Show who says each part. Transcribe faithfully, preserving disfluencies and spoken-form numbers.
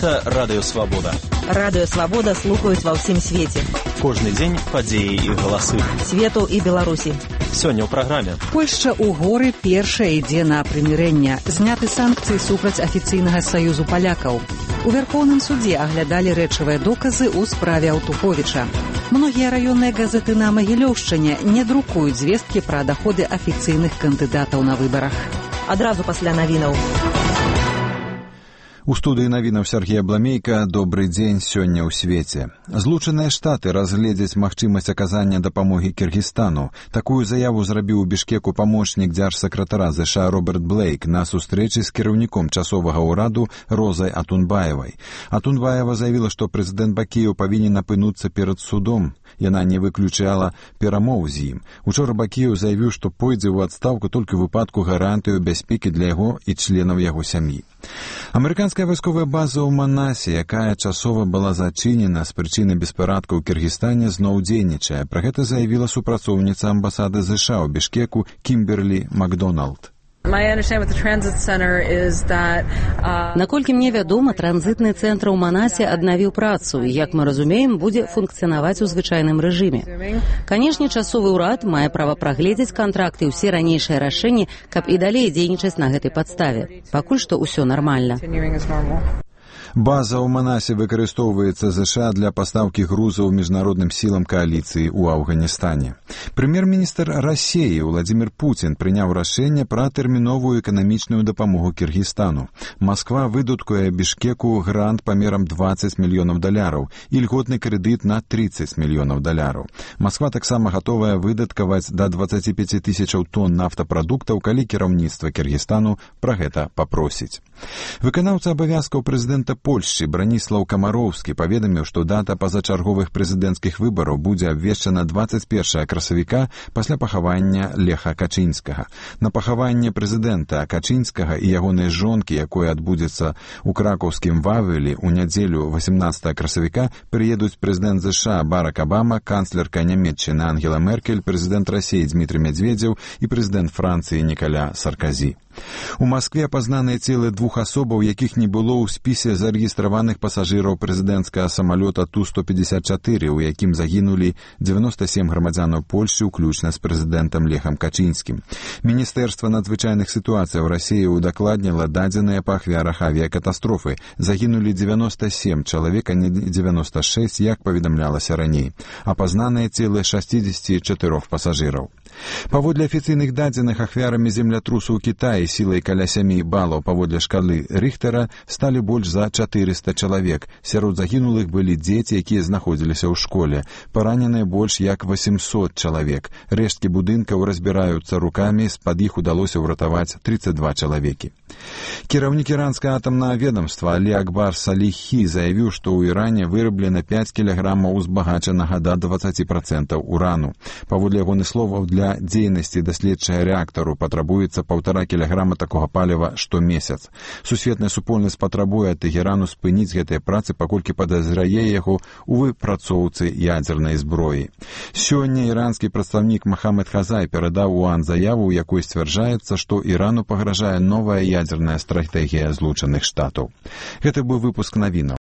Speaker 1: Гэта Радыё Свабода.
Speaker 2: Радыё Свабода слухаюць ва ўсім свеце.
Speaker 1: Кожны дзень падзеі і галасы.
Speaker 2: Свету і Беларусі.
Speaker 1: Сёння ў праграме.
Speaker 3: Польшча ў горы першая ідзе на прымірэнне. Зняты санкцыі супраць афіцыйнага саюзу палякаў. У Вярхоўным судзе аглядалі рэчавыя доказы ў справе Аўтуховіча. Многія раённыя газеты на Магілёўшчыне не друкуюць звесткі пра даходы афіцыйных кандыдатаў на выбарах.
Speaker 2: Адразу пасля навінаў.
Speaker 4: У студыі навінаў Сергей Абламейка. Добры дзень сёння ў свеце. Злучаныя Штаты разгледзяць магчымасць аказання дапамогі Кіргізстану. Такую заяву зрабіў у Бішкеку памочнік дзяржсакратара ЗША Роберт Блейк на сустрэчы з кіраўніком часовага ўраду Розай Атунбаевай. Атунбаева заявіла, што прэзідэнт Бакіеў павінен апынуцца перад судом. Яна не выключала перамоў з ім. Учора Бакіеў заявіў, што пойдзе ў адстаўку толькі ў выпадку гарантыю бяспекі для яго і членаў яго сям'і. Амерыканская вайсковая база ў Манасе, якая часова была зачынена з прычыны беспарадкаў у Кіргізстане, зноў дзейнічае. Пра гэта заявіла супрацоўніца амбасады ЗША ў Бішкеку Кімберлі Макдоналд.
Speaker 5: Наколькі мне вядома, транзітны цэнтр у Манасе аднавіў працу і, як мы разумеем, будзе функцыянаваць у звычайным рэжыме. Канешне, часовы ўрад мае права прагледзець кантракты і ўсе ранейшыя рашэнні, каб і далей дзейнічаць на гэтай падставе. Пакуль што ўсё нармальна.
Speaker 4: База ў Манасе выкарыстоўваецца ЗША для пастаўкі грузаў міжнародным сілам кааліцыі ў Афганістане. Прэм'ер-міністр Расіі Владзімір Пуцін прыняў рашэнне пра тэрміновую эканамічную дапамогу Кіргізстану. Масква выдаткуе Бішкеку грант памерам дваццаць мільёнаў даляраў і льготны крэдыт на трыццаць мільёнаў даляраў. Масква таксама гатовая выдаткаваць да дваццаць пяць тысячаў тонн нафтапрадуктаў, калі кіраўніцтва Кіргізстану пра гэта папросіць. Выканаўца абавязкаў прэзідэнта Польшчы Браніслаў Камароўскі паведаміў, што дата пазачарговых прэзідэнцкіх выбараў будзе абвешчана дваццаць першага красавіка пасля пахавання Леха Качынскага. На пахаванне прэзідэнта Качынскага і ягонай жонкі, якое адбудзецца ў кракаўскім Вавелі ў нядзелю васемнаццатага красавіка, прыедуць прэзідэнт ЗША Барак Абама, канцлерка Нямецчыны Ангела Меркель, прэзідэнт Расіі Дмітрый Медведзеў і прэзідэнт Францыі Нікаля Сарказі. У Маскве пазнаныя целы двух асобаў, якіх не было ў спісе зарэгістраваных пасажыраў прэзідэнцкага самалёта Ту сто пятьдесят четыре, у якім загінулі дзевяноста сем грамадзянаў Польшчы, уключна з прэзідэнтам Лехам Качынскім. Міністэрства надзвычайных сітуацыяў Расіі удакладніла дадзеныя па ахвярах авіякатастрофы. Загінулі дзевяноста сем чалавек, а не дзевяноста шэсць, як паведамлялася раней. Апазнаныя целы шэсцьдзесят чатырох пасажыраў. Паводле афіцыйных дадзеных, ахвярамі землятрусу ў Кітаі сілай каля сямі балаў паводле шкалы Рыхтера сталі больш за чатырыста чалавек. Сярод загінулых былі дзеці, якія знаходзіліся ў школе. Параненыя больш як восемьсот чалавек. Рэшткі будынкаў разбіраюцца рукамі, з-пад іх удалося ўратаваць трыццаць два чалавекі. Кіраўнік іранскага атамнага ведомства Алі Акбар Саліхі заявіў, што ў Іране выраблена пяць кілаграмаў узбагачанага да дваццаць працэнтаў урану. Паводле ягоных словаў, для дзейнасці даследчага рэактару патрабуецца паўтара кілаграма такога паліва штомесяц. Сусветная супольнасць патрабуе ад Тэхерану спыніць гэтыя працы, паколькі падазрае яго ў выпрацоўцы ядзернай зброі. Сёння іранскі прадстаўнік Махамед Хазай перадаў УАН заяву, у якой сцвярджаецца, што Ірану пагражае новая ядзерная стратэгія Злучаных Штатаў. Гэта быў выпуск навінаў.